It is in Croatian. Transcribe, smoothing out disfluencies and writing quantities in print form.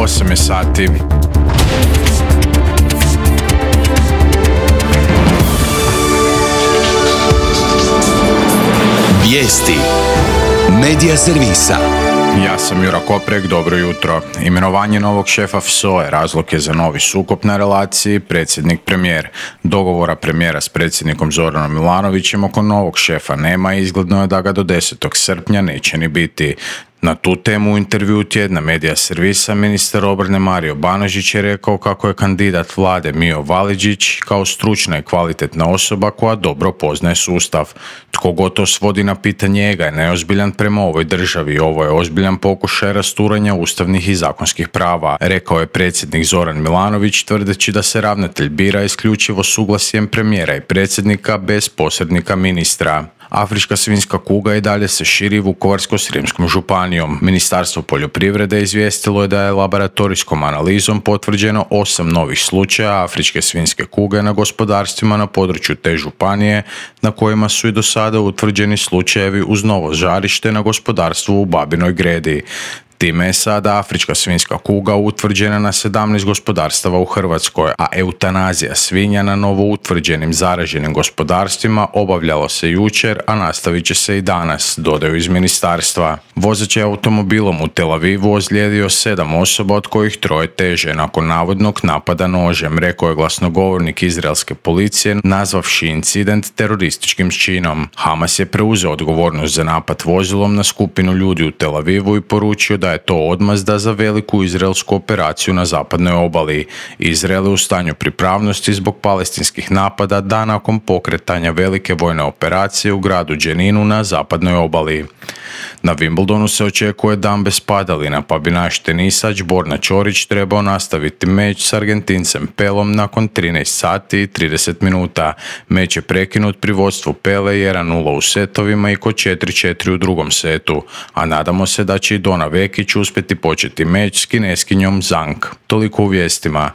8 je sati. Vijesti Medija servisa. Ja sam Jura Koprek, dobro jutro. Imenovanje novog šefa FSOE razlog je za novi sukob na relaciji predsjednik-premijer. Dogovora premijera s predsjednikom Zoranom Milanovićem oko novog šefa nema i izgledno je da ga do 10. srpnja neće ni biti. Na tu temu u intervjuu tjedna Medija servisa ministar obrane Mario Banožić je rekao kako je kandidat vlade Mijo Validžić kao stručna i kvalitetna osoba koja dobro poznaje sustav. Tko god to svodi na pitanje njega je neozbiljan prema ovoj državi. Ovo je ozbiljan pokušaj rasturanja ustavnih i zakonskih prava, rekao je predsjednik Zoran Milanović tvrdeći da se ravnatelj bira isključivo suglasjem premijera i predsjednika bez posrednika ministra. Afrička svinjska kuga i dalje se širi Vukovarsko-srijemskom županijom. Ministarstvo poljoprivrede izvijestilo je da je laboratorijskom analizom potvrđeno 8 novih slučaja afričke svinjske kuge na gospodarstvima na području te županije, na kojima su i do sada utvrđeni slučajevi uz novo žarište na gospodarstvu u Babinoj Gredi. Time je sada afrička svinjska kuga utvrđena na 17 gospodarstava u Hrvatskoj, a eutanazija svinja na novo utvrđenim zaraženim gospodarstvima obavljalo se jučer, a nastavit će se i danas, dodaju iz ministarstva. Vozač je automobilom u Tel Avivu ozlijedio 7 osoba, od kojih 3 teže nakon navodnog napada nožem, rekao je glasnogovornik izraelske policije, nazvavši incident terorističkim činom. Hamas je preuzeo odgovornost za napad vozilom na skupinu ljudi u Tel Avivu i poručio da je to odmazda za veliku izraelsku operaciju na zapadnoj obali. Izrael je u stanju pripravnosti zbog palestinskih napada dan nakon pokretanja velike vojne operacije u gradu Dženinu na zapadnoj obali. Na Wimbledonu se očekuje dan bez padalina, pa bi naš tenisač Borna Ćorić trebao nastaviti meč s Argentincem Pelom nakon 13 sati i 30 minuta. Meč je prekinut pri vodstvu Pele 1-0 u setovima i kod 4-4 u drugom setu, a nadamo se da će i Dona Vekić uspjeti početi meč s Kineskinjom Zhang. Toliko u vijestima.